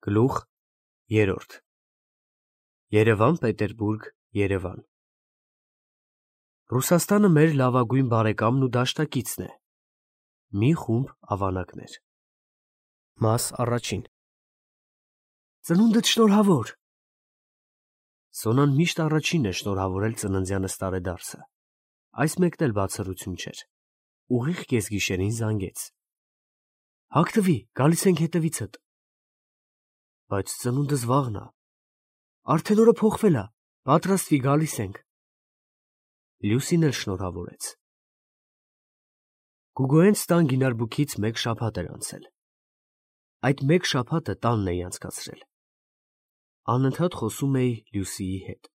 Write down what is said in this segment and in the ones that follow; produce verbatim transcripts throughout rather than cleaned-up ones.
Գլուխ երրորդ Երևան, Պետերբուրգ, Երևան Ռուսաստանը մեր լավագույն բարեկամն ու դաշնակիցն է։ Մի խումբ ավանակներ։ Մաս առաջին Ծնունդդ շնորհավոր։ Սոնան միշտ առաջինն է շնորհավորել ծննդյանս տարեդարձը։ Այս մեկն էլ բացառություն չէր։ Ուղիղ կեսգիշերին զանգեց։ Հագտվի, գալիս ենք հետևիցդ։ Բայց ծնունդս վաղն է։ Արդեն օրը փոխվել է, պատրաստվի, գալիս ենք։ Լյուսին էլ շնորհավորեց։ Գուգոյենց տան գինարբուքից մեկ շաբաթ էր անցել։ Այդ մեկ շաբաթը տանն էի անցկացրել։ Անընդհատ խոսում էի Լյուսիի հետ։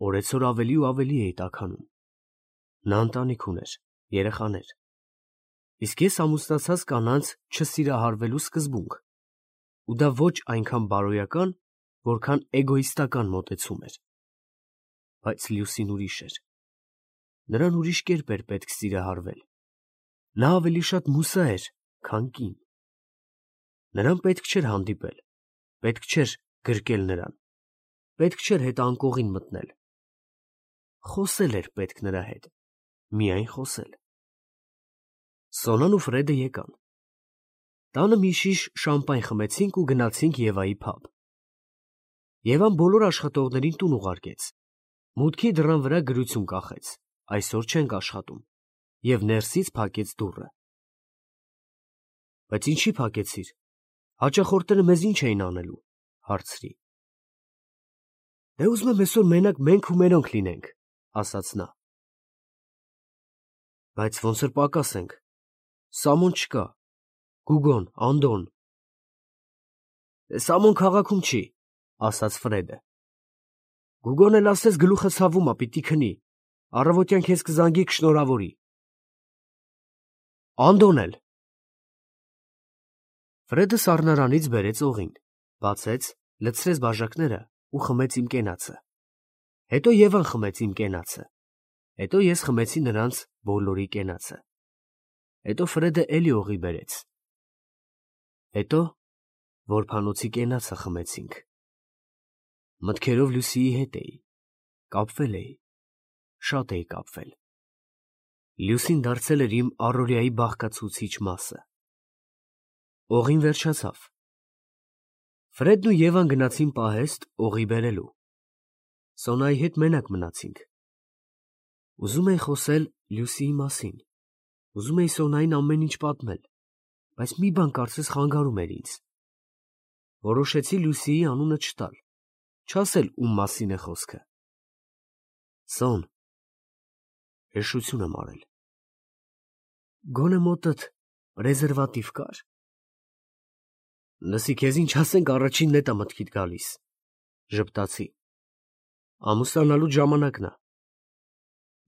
Օրեցօր ավելի ու ավելի էի տաքանում։ Նա ընտանիք ուներ, երեխաներ։ Իսկ ես ամուսնացած կանանց չսիրահարվելու սկզբունք։ Ու դա ոչ այնքան բարոյական, որքան էգոիստական մոտեցում էր։ Բայց Լյուսին ուրիշ էր։ Նրան ուրիշ կերպ էր պետք սիրահարվել։ Նա ավելի շատ մուսա էր, քան կին։ Նրան պետք չէր հանդիպել, պետք չէր գրկել նրան, պետք չէր հետ անկողին մտնել։ Խոսել էր պետք նրա հետ, միայն խոսել։ Սոնան ու Ֆրեդը եկան։ Տանը մի շիշ շամպայն խմեցինք ու գնացինք Եվայի փաբ։ Եվան բոլոր աշխատողներին տուն ուղարկեց։ Մուտքի դռան վրա գրություն կախեց. այսօր չենք աշխատում, և ներսից փակեց դուռը։ Բայց ինչի փակեցիր, հաճախորդները մեզ ինչ էին անելու, հարցրի։ Դե ուզում եմ այսօր մենակ մենք ու մերոնք լինենք, ասաց նա։ Բայց ոնց որ պակաս ենք, Սամոն չկա, Գուգոն, Անդոն։ Սամոն քաղաքում չի, ասաց Ֆրեդը։ Գուգոն էլ ասես գլուխը ցավում ա, պիտի քնի, առավոտյան քեզ կզանգի կշնորհավորի։ Անդոն էլ։ Ֆրեդը սառնարանից բերեց օղին, բացեց, լցրեց բաժակները ու խմեց իմ կենացը։ Հետո Եվան խմեց իմ կենացը։ Հետո ես խմեցի նրանց բոլորի կենացը։ Հետո Ֆրեդը էլի օղի բերեց։ Հետո որբանոցի կենացը խմեցինք։ Մտքերով Լյուսիի հետ էի, կապվել էի, շատ էի կապվել։ Լյուսին դարձել էր իմ առօրյայի բաղկացուցիչ մասը։ Օղին վերջացավ։ Ֆրեդն ու Եվան գնացին պահեստ օղի բերելու։ Սոնայի հետ մենակ մնացինք։ Ուզում էի խոսել Լյուսիի մասին։ Ուզում էի Սոնային ամեն ինչ պատմել, բայց մի բան կարծես խանգարում էր ինձ։ Որոշեցի Լյուսիի անունը չտալ, չասել ում մասին է խոսքը։ Սոն, հեշտություն եմ արել։ Գոնե մոտդ ռեզերվատիվ կար։ Լսի, քեզ ինչ ասենք առաջինն էդ ա մտքիդ գալիս, ժպտացի։ Ամուսնանալու ժամանակն է։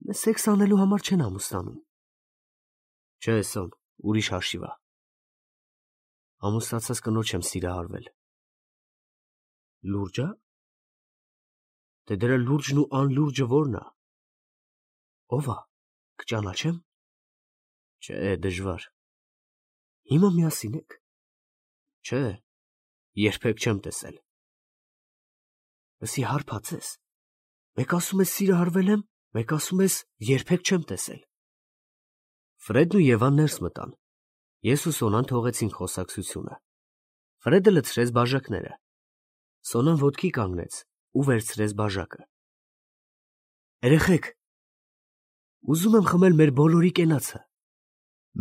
Մեզ սեքս անելու համար չեն ամուսնանում։ Չէ, Սոն, ուրիշ հաշիվ ա։ Ամուսնացած կնոջ եմ սիրահարվել։ Լուրջ ա։ Դե դրա լուրջն ու անլուրջը ո՞րն ա։ Ո՞վ ա, կճանաչեմ։ Չէ, դժվար։ Հիմա միասին եք։ Չէ, երբեք չեմ տեսել։ Լսի, հարբած ես։ Մեկ ասում ես սիրահարվել եմ, մեկ ասում ես երբեք չեմ տեսել։ Ֆրեդն ու Եվան ներս մտան։ Ես ու Սոնան թողեցինք խոսակցությունը։ Ֆրեդը լցրեց բաժակները։ Սոնան ոտքի կանգնեց ու վերցրեց բաժակը։ Երեխեք, ուզում եմ խմել մեր բոլորի կենացը,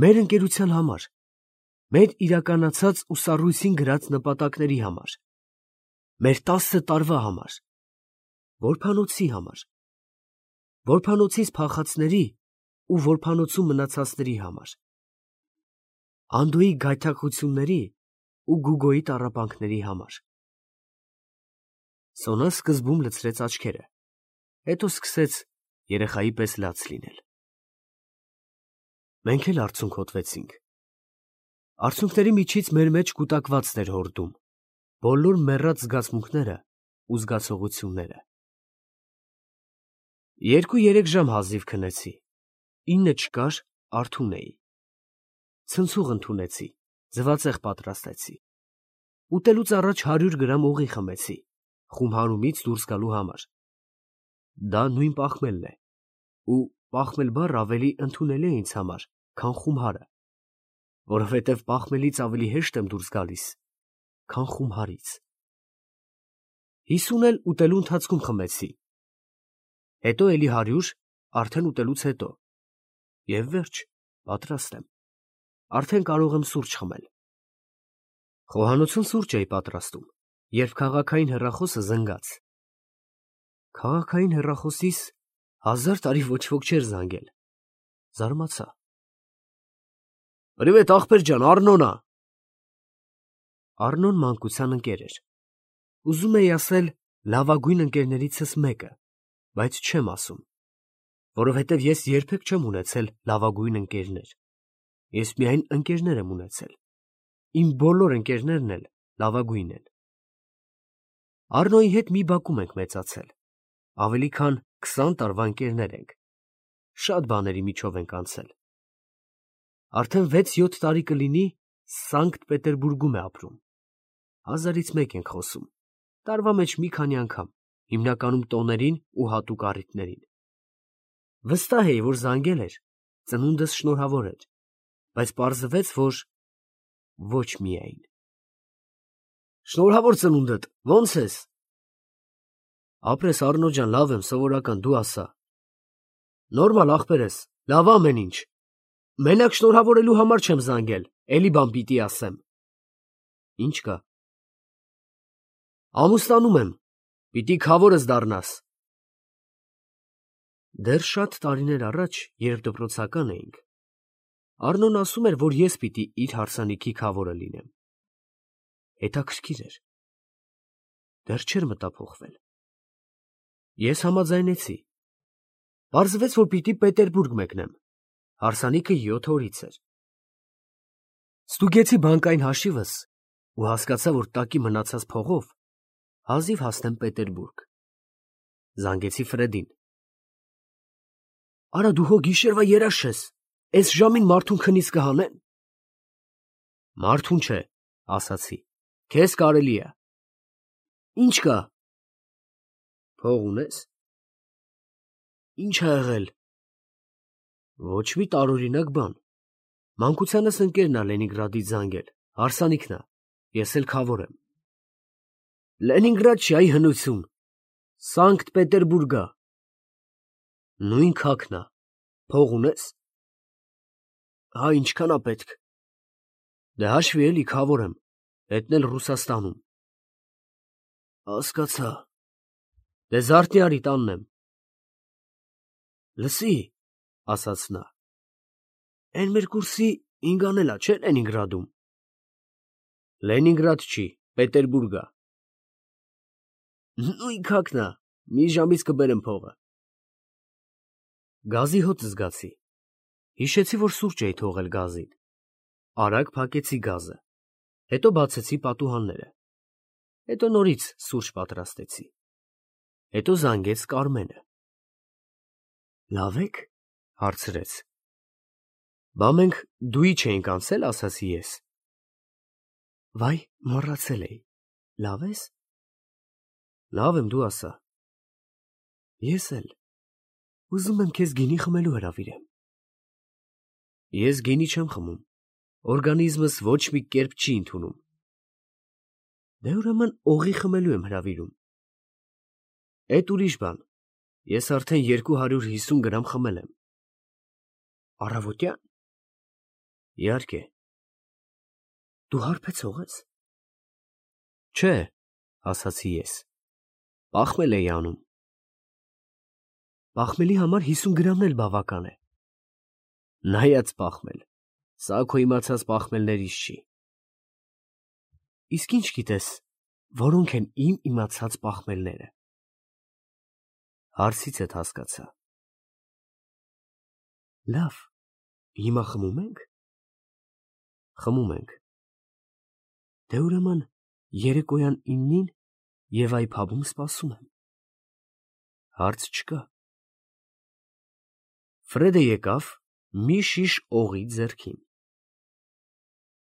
մեր ընկերության համար, մեր իրականացած ու սառույցին գրած նպատակների համար, մեր տասը տարվա համար, որբանոցի համար, որբանոցից փախածների ու որբանոցում մնացածների համար, Անդոյի գայթակղությունների ու Գուգոյի տառապանքների համար։ Սոնան սկզբում լցրեց աչքերը, հետո սկսեց երեխայի պես լաց լինել։ Մենք էլ արցունք հոտվեցինք։ Արցունքների միջից մեր մեջ կուտակվածն էր հորդում, բոլոր մեռած զգացմունքները ու զգացողությունները։ Երկու-երեք ժամ հազիվ քնեցի, ինը չկար, արթուն էի։ Ցնցուղ ընդունեցի, ձվածեղ պատրաստեցի։ Ուտելուց առաջ հարյուր գրամ օղի խմեցի, խումհարումից դուրս գալու համար։ Դա նույն պաղմելն է, ու պաղմել բառը ավելի ընդունելի է ինձ համար, քան խումհարը, որովհետև պաղմելից ավելի հեշտ եմ դուրս գալիս, քան խումհարից։ Հիսուն էլ ուտելու ընթացքում խմեցի, հետո էլի հարյուր, արդեն ուտելուց հետո, և վերջ, պատրաստ եմ, արդեն կարող եմ սուրճ խմել։ Խոհանոցում սուրճ էի պատրաստում, երբ քաղաքային հեռախոսը զնգաց։ Քաղաքային հեռախոսիս հազար տարի ոչ ոք չէր զանգել, զարմացա։ Պրիվետ ախպեր ջան, Առնոն ա։ Առնոն մանկության ընկեր էր։ Ուզում էի ասել լավագույն ընկերներիցս մեկը, բայց չեմ ասում, որովհետև ես երբեք չեմ ունեցել լավագույն ընկերներ, ես միայն ընկերներ եմ ունեցել, իմ բոլոր ընկերներն էլ լավագույն են։ Առնոյի հետ մի բակում ենք մեծացել, ավելի քան քսան տարվա ընկերներ ենք, շատ բաների միջով ենք անցել։ Արդեն վեց֊յոթ տարի կլինի Սանկտ Պետերբուրգում է ապրում, հազարից մեկ ենք խոսում, տարվա մեջ մի քանի անգամ, հիմնականում տոներին ու հատուկ առիթներին։ Վստահ էի, որ զանգել էր, ծնունդս շնորհավոր էր, բայց պարզվեց, որ ոչ միայն։ Շնորհավոր ծնունդդ, ո՞նց ես։ Ապրես Առնո ջան, լավ եմ, սովորական, դու ասա։ Նորմալ ախպերս, լավ ամեն ինչ։ Մենակ շնորհավորելու համար չեմ զանգել, էլի բան պիտի ասեմ։ Ինչ կա։ Ամուսնանում եմ, պիտի քավորս դառնաս։ Դեռ շատ տարիներ առաջ, երբ դպրոցական էինք, Առնոն ասում էր, որ ես պիտի իր հարսանիքի քավորը լինեմ։ Հետաքրքիր էր։ Դեռ չէր մտափոխվել։ Ես համաձայնեցի։ Պարզվեց, որ պիտի Պետերբուրգ մեկնեմ, հարսանիքը յոթ օրից էր։ Ստուգեցի բանկային հաշիվս ու հասկացա, որ տակի մնացած փողով հազիվ հասնեմ Պետերբուրգ։ Զանգեցի Ֆրեդին։ Արա դու հո գիշերվա երազ չես, էս ժամին մարդուն քնից կհանեն։ Մարդուն չէ, ասացի, քեզ կարելի է։ Ինչ կա։ Փող ունես։ Ինչ ա եղել։ Ոչ մի տարօրինակ բան։ Մանկությանս ընկերն ա Լենինգրադից զանգել, հարսանիքն ա, ես էլ քավոր եմ։ Լենինգրադ չի, այ հնություն, Սանկտ Պետերբուրգ ա։ Նույն քաղաքն ա, փող ունես։ Հա, ինչքան ա պետք։ Դե հաշվի էլի քավոր եմ, հետն էլ Ռուսաստանում։ Հասկացա։ Դե զարթնի արի տանն եմ։ Լսի, ասաց նա, էն մեր կուրսի ինգան էլ ա, չէ՞ Լենինգրադում։ Լենինգրադ չի, Պետերբուրգ ա։ Նույն քաղաքն ա, մի ժամից կբերեմ փողը։ Գազի հոտ զգացի։ Հիշեցի, որ սուրճ էի թողել գազին։ Արագ փակեցի գազը, հետո բացեցի պատուհանները, հետո նորից սուրճ պատրաստեցի, հետո զանգեց Կարմենը։ Լավ եք, հարցրեց։ Բա մենք դուի չէինք անցել, ասացի ես։ Վայ, մոռացել էի, լավ ես։ Լավ եմ, դու ասա։ Ես էլ ուզում եմ քեզ գինի խմելու հրավիրեմ։ Ես գինի չեմ խմում, օրգանիզմս ոչ մի կերպ չի ընդունում։ Դե ուրեմն օղի խմելու եմ հրավիրում։ Էդ ուրիշ բան, ես արդեն երկու հարյուր հիսուն գրամ խմել եմ։ Առավոտյան։ Իհարկե։ Դու հարբեցող ես։ Չէ, ասացի ես, պաղմել էի անում։ Պաղմելի համար հիսուն գրամն էլ բավական է։ Նայած պաղմել, սա քո իմացած պաղմելներից չի։ Իսկ ինչ գիտես, որոնք են իմ իմացած պաղմելները։ Հարցից էդ հասկացա։ Լավ, հիմա խմում ենք։ Խմում ենք։ Դե ուրեմն երեկոյան իննին եւ այ փաբում սպասում եմ։ Հարց չկա։ Ֆրեդը եկավ մի շիշ օղի ձեռքին։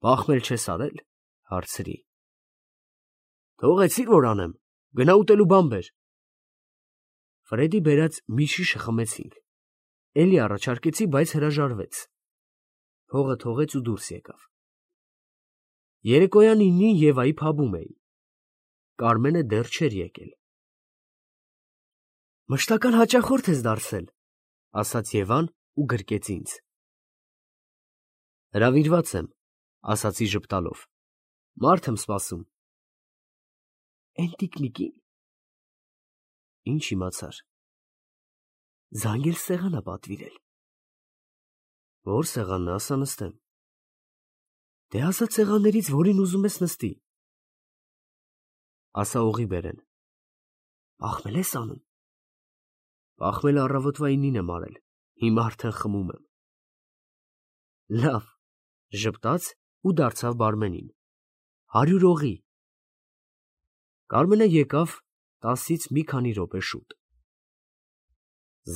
Պաղմել չես արել, հարցրի։ Թողեցիր, որ անեմ, գնա ուտելու բան բեր։ Ֆրեդի բերած մի շիշը խմեցինք։ Էլի առաջարկեցի, բայց հրաժարվեց։ Փողը թողեց ու դուրս եկավ։ Երեկոյան իննին Եվայի փաբում էի։ Կարմենը դեռ չէր եկել։ Մշտական հաճախորդ ես դարձել, ասաց Եվան ու գրկեց ինձ։ Հրավիրված եմ, ասացի ժպտալով։ Մարդ եմ սպասում։ Էն տիկնիկին։ Ինչ իմացար։ Զանգել սեղանա պատվիրել։ Որ սեղանն ասա նստեմ։ Դե ասա սեղաններից որին ուզում ես նստի։ Ասա օղի բերեն։ Ախմել ես անում։ Ախմել առավոտվա ինին եմ արել, հիմա արդեն խմում եմ։ Լավ, ժպտաց ու դարձավ բարմենին։ Հարյուր օղի։ Կարմենը եկավ տասից մի քանի րոպե շուտ։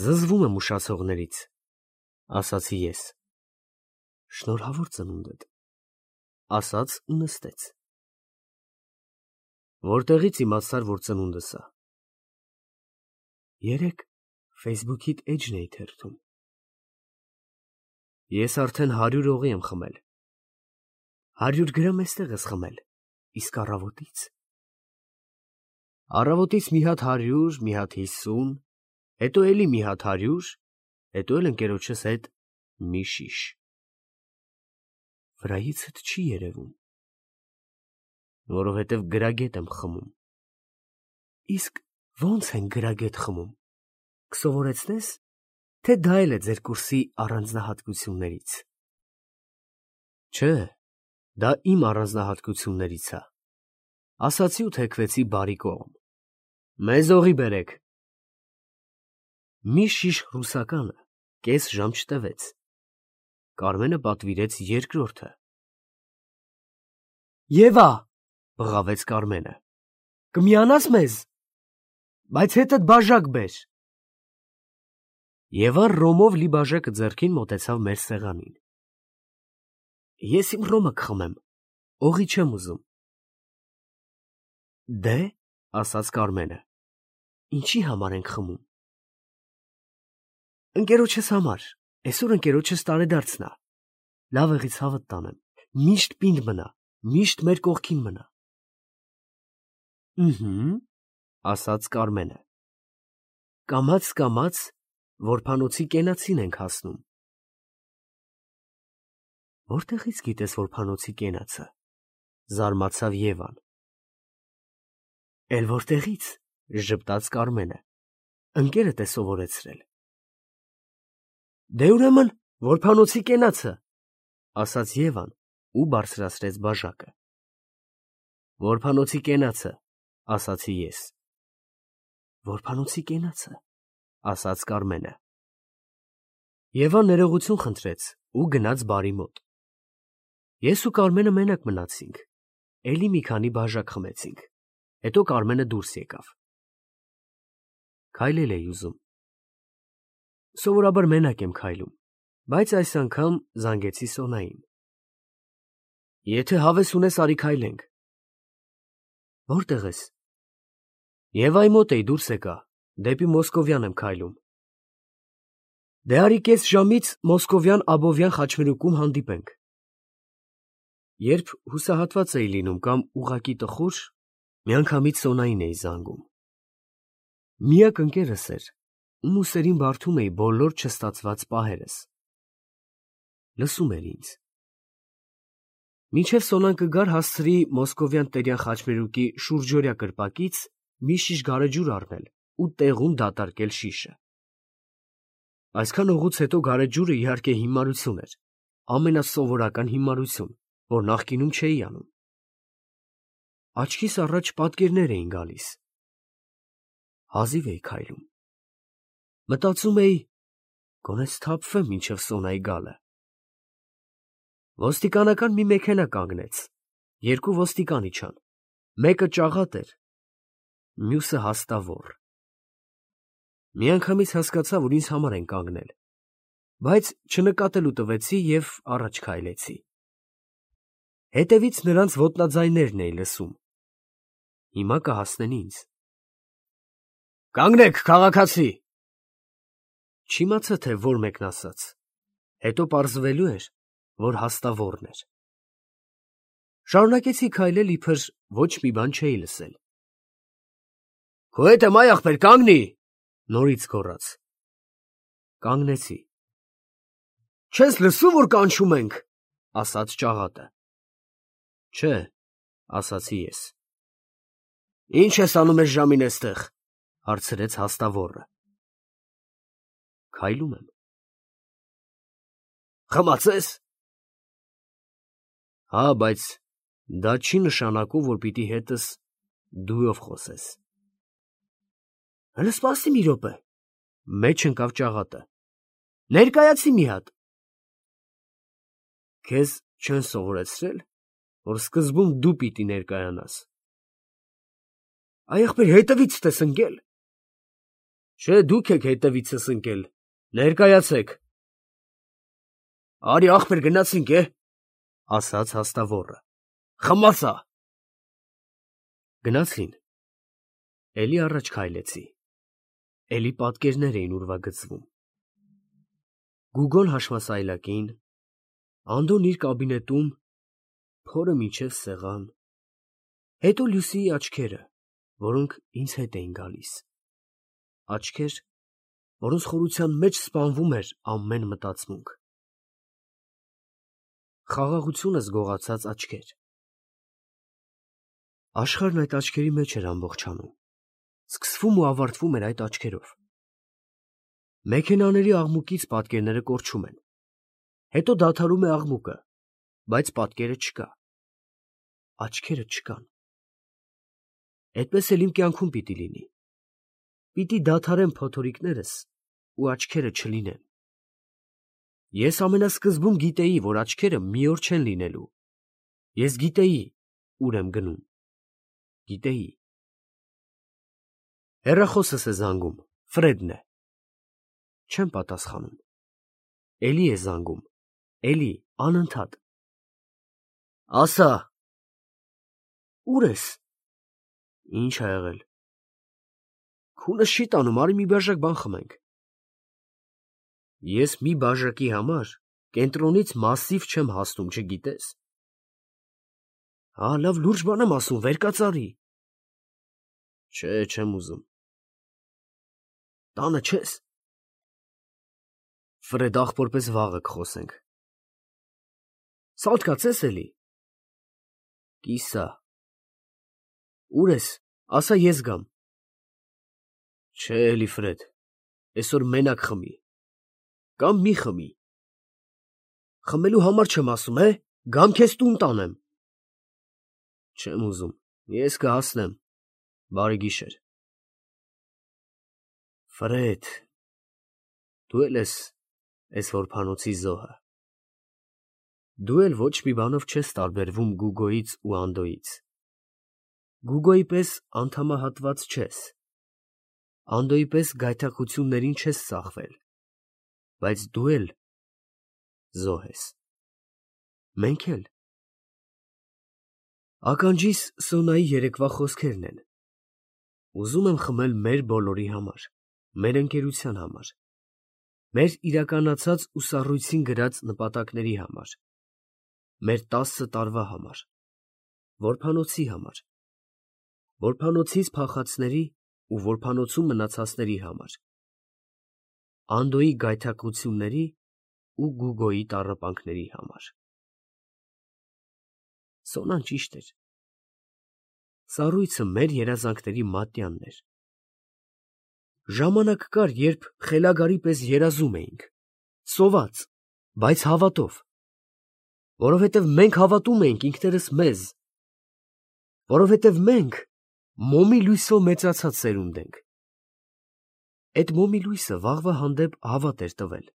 Զզվում եմ ուշացողներից, ասացի ես։ Շնորհավոր ծնունդդ, ասաց ու նստեց։ Որտեղից իմացար, որ ծնունդս է։ Երեկ Facebook-իդ էջն էի թերթում։ Ես արդեն հարյուր օղի եմ խմել։ Հարյուր գրամ էստեղ ես խմել, իսկ առավոտից։ Առավոտից մի հատ հարյուր, մի հատ հիսուն, հետո էլի մի հատ հարյուր, հետո էլ ընկերոջս հետ մի շիշ։ Վրայիցդ չի երևում, որովհետև գրագետ եմ խմում։ Իսկ ո՞նց են գրագետ խմում, կսովորեցնես, թե դա էլ է ձեր կուրսի առանձնահատկություններից։ Չէ, դա իմ առանձնահատկություններից է, ասացի ու թեքվեցի բարի կողմ։ Մեզ օղի բերեք։ Մի շիշ ռուսականը կես ժամ չտևեց։ Կարմենը պատվիրեց երկրորդը։ Եվա, բղավեց Կարմենը, կմիանաս մեզ, բայց հետդ բաժակ բեր։ Եվան ռոմով լի բաժակը ձեռքին մոտեցավ մեր սեղանին։ Ես իմ ռոմը կխմեմ, օղի չեմ ուզում։ Դե, ասաց Կարմենը, ինչի համար ենք խմում։ Ընկերոջս համար, այսօր ընկերոջս տարեդարձն է, լավ եղի ցավդ տանեմ, միշտ պինդ մնա, միշտ մեր կողքին մնա։ Ըհը, ասաց Կարմենը, կամաց-կամաց որբանոցի կենացին ենք հասնում։ Որտեղից գիտես որբանոցի կենացը, զարմացավ Եվան։ Էլ որտեղից, ժպտաց Կարմենը, ընկերդ է սովորեցրել։ Դե ուրեմն որբանոցի կենացը, ասաց Եվան ու բարձրացրեց բաժակը։ Որբանոցի կենացը, ասացի ես։ Որբանոցի կենացը, ասաց Կարմենը։ Եվան ներողություն խնդրեց ու գնաց բարի մոտ։ Ես ու Կարմենը մենակ մնացինք, էլի մի քանի բաժակ խմեցինք, հետո Կարմենը դուրս եկավ։ Քայլել էի ուզում։ Սովորաբար մենակ եմ քայլում, բայց այս անգամ զանգեցի Սոնային։ Եթե հավես ունես, արի քայլենք։ Որտեղ ես։ Եվայի մոտ էի, դուրս եկա, դեպի Մոսկովյան եմ քայլում։ Դե արի կես ժամից Մոսկովյան Աբովյան խաչմերուկում հանդիպենք։ Երբ հուսահատված էի լինում կամ ուղակի տխուր, միանգամից Սոնային էի զանգում։ Միակ ընկերս էր, ում ուսերին բարդում էի բոլոր չստացված պահերս։ Լսում էր ինձ։ Մինչև Սոնան կգար, հասցրի Մոսկովյան Տերյան խաչմերուկի շուրջօրյա կրպակից մի շիշ գարեջուր առնել ու տեղում դատարկել շիշը։ Այսքան օղուց հետո գարեջուրը իհարկե հիմարություն էր, ամենասովորական հիմարություն, որ նախկինում չէի անում։ Աչքիս առաջ պատկերներ էին գալիս։ Հազիվ էի քայլում։ Մտածում էի, գոնե սթափվեմ մինչև Սոնայի գալը։ Ոստիկանական մի մեքենա կանգնեց, երկու ոստիկան իջան, մեկը ճաղատ էր, մյուսը հաստավոր։ Միանգամից հասկացա, որ ինձ համար են կանգնել, բայց չնկատելու տվեցի և առաջ քայլեցի։ Հետևից նրանց ոտնաձայներն էի լսում։ հիմա կհասնեն ինձ։ Կանգնեք, քաղաքացի։ Չիմացա, թե որ մեկն ասաց, հետո պարզվելու էր, որ հաստավորն էր։ Շարունակեցի քայլել, իբր ոչ մի բան չէի լսել։ Քո հետ եմ, այ ախպեր, կանգնի, նորից գոռաց։ Կանգնեցի։ Չես լսում, որ կանչում ենք, ասաց ճաղատը։ Չէ, ասացի ես։ Ինչ ես անում ես ժամին էստեղ, հարցրեց հաստավորը։ Քայլում եմ։ Խմացես։ Հա, բայց դա չի նշանակում, որ պիտի հետս դույով խոսես։ Հələ սպասի մի րոպե, մեջ ընկավ ճաղատը։ Ներկայացի մի հատ։ Քեզ չեն սովորեցրել, որ սկզբում դու պիտի ներկայանաս։ Այ ախպեր, հետևից ես ընկել։ Չէ, դուք եք հետևիցս ընկել, ներկայացեք։ Արի ախպեր, գնացինք, է, ասաց հաստավորը։ Խմացա։ Գնացին։ Էլի առաջ քայլեցի։ Էլի պատկերներ էին ուրվագծվում։ Գուգոն հաշմասայլակին, Անդոն իր կաբինետում, փորը մինչև սեղան, հետո Լուսիի աչքերը, որոնք ինձ հետ էին գալիս, աչքեր, որոնց խորության մեջ սպանվում էր ամեն մտածմունք, խաղաղությունը զգողացած աչքեր։ Աշխարհն այդ աչքերի մեջ էր ամբողջանում, սկսվում ու ավարտվում էր այդ աչքերով։ Մեքենաների աղմուկից պատկերները կորչում են, հետո դադարում է աղմուկը, բայց պատկերը չկա, աչքերը չկան։ Այդպես էլ իմ կյանքում պիտի լինի, պիտի դադարեն փոթորիկներս ու աչքերը չլինեն։ Ես ամենասկզբում գիտեի, որ աչքերը մի օր չեն լինելու, ես գիտեի, ուր եմ գնում, գիտեի։ Հեռախոսս է զանգում, Ֆրեդն է։ Չեմ պատասխանում։ Էլի է զանգում, էլի, անընդհատ։ Ասա։ Ուր ես։ Ինչ ա եղել։ Քունս չի տանում, արի մի բաժակ բան խմենք։ Ես մի բաժակի համար կենտրոնից մասիվ չեմ հասնում, չգիտես։ Հա, լավ լուրջ բան եմ ասում, վեր կացարի։ Չէ, չեմ ուզում։ Տանը չես։ Ֆրեդ, ախպորպես վաղը կխոսենք։ Սալքացես էլի։ Կիսա։ Ուր ես, ասա ես գամ։ Չէ, էլի Ֆրեդ, այսօր մենակ խմի։ Կամ մի խմի։ Խմելու համար չեմ ասում, է, գամ քեզ տուն տանեմ։ Չեմ ուզում, ես կհասնեմ, բարի գիշեր։ Ֆրեդ, դու էլ ես այս որփանոցի զոհը։ Դու էլ ոչ մի բանով չես տարբերվում Գուգոյից ու Անդոյից։ Գուգոյի պես անդամահատված չես, Անդոյի պես գայթակղություններին չես ծախվել, բայց դու էլ զոհ ես։ Մենք էլ։ Ականջիս Սոնայի երեկվա խոսքերն են։ Ուզում եմ խմել մեր բոլորի համար, մեր ընկերության համար, մեր իրականացած ու սառույցին գրած նպատակների համար, մեր տասը տարվա համար, որփանոցի համար, որփանոցից փախածների ու որփանոցում մնացածների համար, Անդոյի գայթակղությունների ու Գուգոյի տառապանքների համար։ Սոնան ճիշտ էր։ Սառույցը մեր երազանքների մատյանն էր։ Ժամանակ կար, երբ խելագարի պես երազում էինք, սոված, բայց հավատով, որովհետև մենք հավատում էինք ինքներս մեզ, որովհետև մենք մոմի լույսով մեծացած սերունդ ենք։ Այդ մոմի լույսը վաղվա հանդեպ հավատ էր տվել։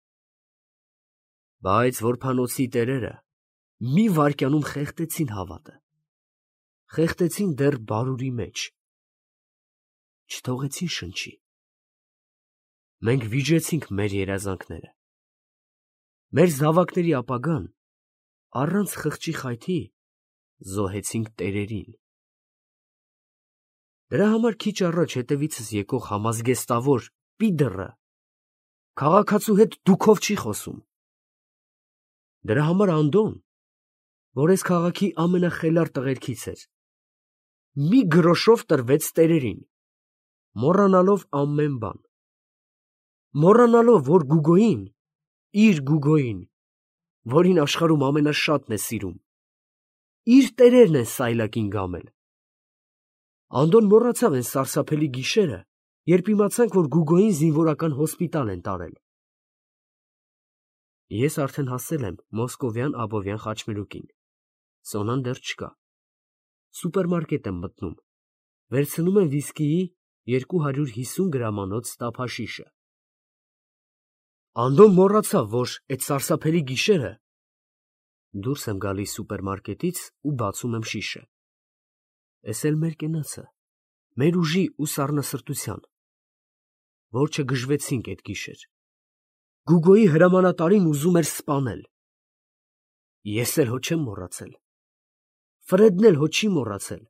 Բայց որփանոցի տերերը մի վայրկյանում խեղդեցին հավատը, խեղդեցին դեռ բարուրի մեջ, չթողեցին շնչի։ Մենք վիժեցինք մեր երազանքները, մեր զավակների ապագան առանց խղճի խայթի զոհեցինք տերերին։ Դրա համար քիչ առաջ հետևիցս եկող համազգեստավոր պիդռը քաղաքացու հետ դուքով չի խոսում։ Դրա համար Անդոն, որ այս քաղաքի ամենախելառ տղերքից էր, մի գրոշով տրվեց տերերին, մոռանալով ամեն բան, մոռանալով, որ Գուգոյին, իր Գուգոյին, որին աշխարհում ամենաշատն է սիրում, իր տերերն են սայլակին գամել։ Անդոն մոռացավ այն սարսափելի գիշերը, երբ իմացանք, որ Գուգոյին զինվորական հոսպիտալ են տարել։ Ես արդեն հասել եմ Մոսկովյան Աբովյան խաչմերուկին։ Սոնան դեռ չկա։ Սուպերմարկետ եմ մտնում, վերցնում եմ վիսկիի երկու հարյուր հիսուն գրամանոց տափաշիշը։ Անդոն մոռացավ, որ այդ սարսափելի գիշերը դուրս եմ գալիս սուպերմարկետից ու բացում եմ շիշը։ Էս էլ մեր կենացը, մեր ուժի ու սառնասրտության, որ չգժվեցինք այդ գիշեր։ Գուգոյի հրամանատարին ուզում էր սպանել։ Ես էլ հո չեմ մոռացել։ Ֆրեդն էլ հո չի մոռացել,